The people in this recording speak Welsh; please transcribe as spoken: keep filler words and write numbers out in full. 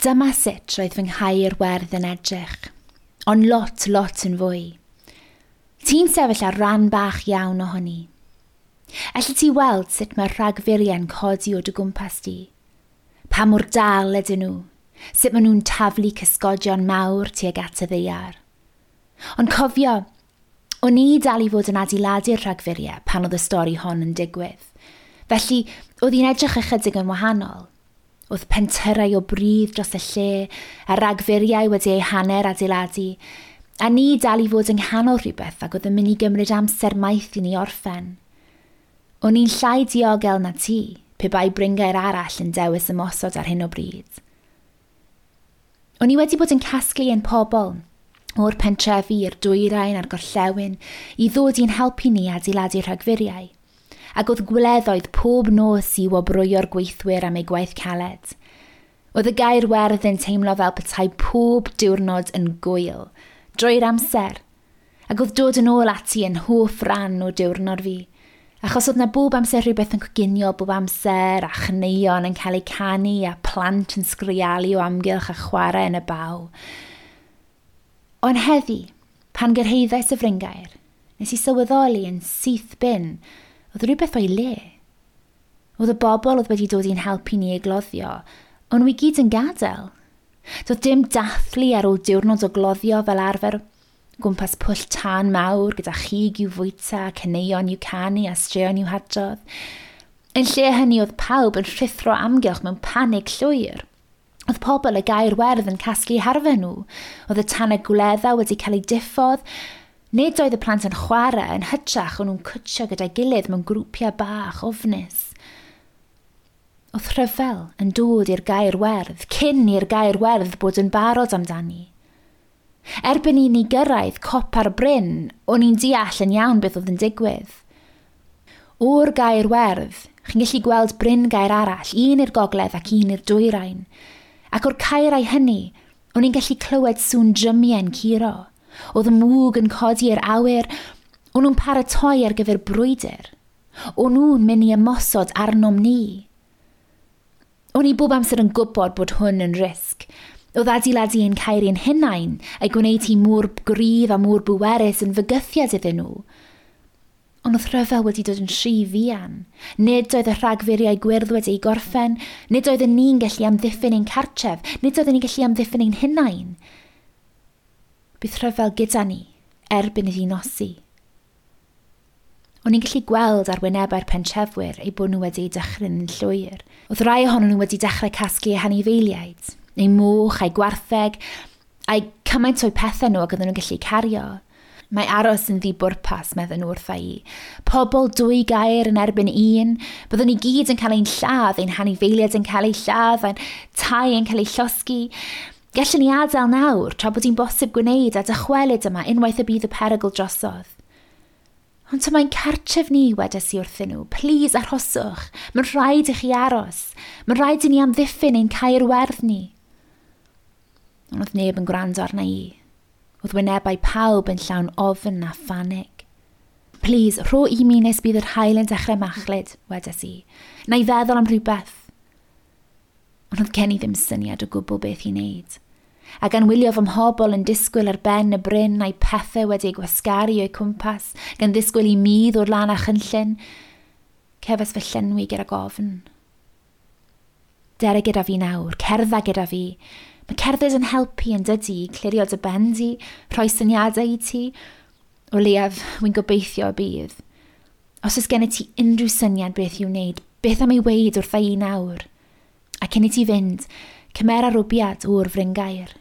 Dyma sut roedd fy nghaer werdd yn edrych, ond lot, lot yn fwy. Ti'n sefyll ar ran bach iawn ohoni. Elli ti weld sut mae'r rhagfuriau'n codi o dy gwmpas di? Pa mor dal ydyn nhw? Sut maen nhw'n taflu cysgodion mawr tuag at y ddaear? Ond cofio, o'n i dal i fod yn adeiladu'r rhagfuriau pan oedd y stori hon yn digwydd. Felly, oedd hi'n edrych ychydig yn wahanol. Oedd pentyrrau o bridd dros y lle, a ragfuriau wedi eu hanner adeiladu, a ni dal i fod yng nghanol rhywbeth ac oedd yn mynd i gymryd amser maith i ni orffen. O'n i'n llai diogel na ti, pe bai bryngaer arall yn dewis ymosod ar hyn o bryd. O'n i wedi bod yn casglu ein pobl, o'r pentrefi i'r dwyrain a'r gorllewin, i ddod i'n helpu ni adeiladu rhagfuriau, ac oedd gwleddoedd pob nos i wobrwyo'r gweithwyr am eu gwaith caled. Oedd y gaer werdd yn teimlo fel petai pob diwrnod yn gwyl, drwy'r amser, ac oedd dod yn ôl ati yn hoff ran o diwrnod fi, achos oedd na bob amser rhywbeth yn coginio bob amser, a chaneuon yn cael eu canu, a plant yn sgrialu o amgylch a chwarae yn y baw. Ond heddi, pan gyrhaeddais y fryngaer, nes i sylweddoli yn syth bin, oedd rhywbeth o'i le. Oedd y bobl oedd wedi dod i'n helpu ni i gloddio, ond nhw i gyd yn gadael. Doedd dim dathlu ar ôl diwrnod o gloddio fel arfer, gwmpas pwll tân mawr gyda chig i'w fwyta, caneuon i'w canu a straeon i'w hadrodd. Yn lle hynny oedd pawb yn rhuthro amgylch mewn panig llwyr. Oedd pobl y gaer werdd yn casglu harfau nhw. Oedd y tanau gwledda wedi cael eu diffodd. Nid oedd y plant yn chwarae, yn hytrach o'n nhw'n cwtsio gyda'i gilydd mewn grwpiau bach ofnus. Oedd rhyfel yn dod i'r gaer werdd, cyn i'r gaer werdd bod yn barod amdani. Erbyn i ni gyrraedd copa'r bryn, o'n i'n deall yn iawn beth oedd yn digwydd. O'r gaer werdd, chi'n gallu gweld bryn gaer arall, un i'r gogledd ac un i'r dwyrain. Ac o'r caerau hynny, o'n i'n gallu clywed sŵn drymiau'n curo. Oedd y mwg yn codi i'r awyr, o'n nhw'n paratoi ar gyfer brwydr. O'n nhw'n mynd i ymosod arnom ni. O'n i bob amser yn gwybod bod hwn yn risg. Oedd adeiladu ein caer ein hunain a'i gwneud hi mor gryf a mor bwerus yn fygythiad iddyn nhw. Ond oedd rhyfel wedi dod yn rhy fuan. Nid oedd y rhagfuriau gwyrdd wedi ei gorffen, nid oedden ni'n gallu amddiffyn ein cartref, nid oedden ni'n gallu amddiffyn ein hunain. Bydd rhyfel gyda ni erbyn iddi nosi. O'n i'n gallu gweld ar wynebau'r pentrefwyr eu bod nhw wedi eu dychryn yn llwyr. Oedd rai ohonyn nhw wedi dechrau casglu eu hanifeiliaid, eu moch a'i gwartheg, a'i cymaint o'u pethau nhw ac oedden nhw'n gallu cario. Mae aros yn ddibwrpas, meddyn nhw wrtha i. Pobl dwy gaer yn erbyn un, byddwn ni gyd yn cael ein lladd, ein hanifeiliaid yn cael eu lladd, ein tai yn cael eu llosgi. Gallwn ni adael nawr, tra bod hi'n bosib gwneud a dychwelyd yma unwaith y bydd y perygl drosodd. Ond ta mae'n cartref ni, wedes i wrthyn nhw. Plîs arhoswch. Mae'n rhaid i chi aros. Mae'n rhaid i ni amddiffyn ein caer werdd ni. Ond oedd neb yn gwrando arna i. Oedd wynebau pawb yn llawn ofn a phanig. Plîs, rho i mi nes bydd yr haul yn dechrau machlud, wedes i. Na i feddwl am rhywbeth. Ond oedd gen i ddim syniad o gwbl beth i wneud. A gan wylio fy mhobl yn disgwyl ar ben y bryn a'i pethau wedi eu gwasgaru o'u cwmpas, gan ddisgwyl i mi ddod lan â chynllun, cefais fy llenwi gyda gofn. Dere gyda fi nawr, cerdda gyda fi. Mae cerdded yn helpu yn dydy, clirio dy ben di, rhoi syniadau i ti. O leiaf, wy'n gobeithio y bydd. Os oes gen i ti unrhyw syniad beth i'w wneud, beth am ei weud wrtha i nawr? A cyn i ti fynd, cymera rwbiad o'r fryngaer.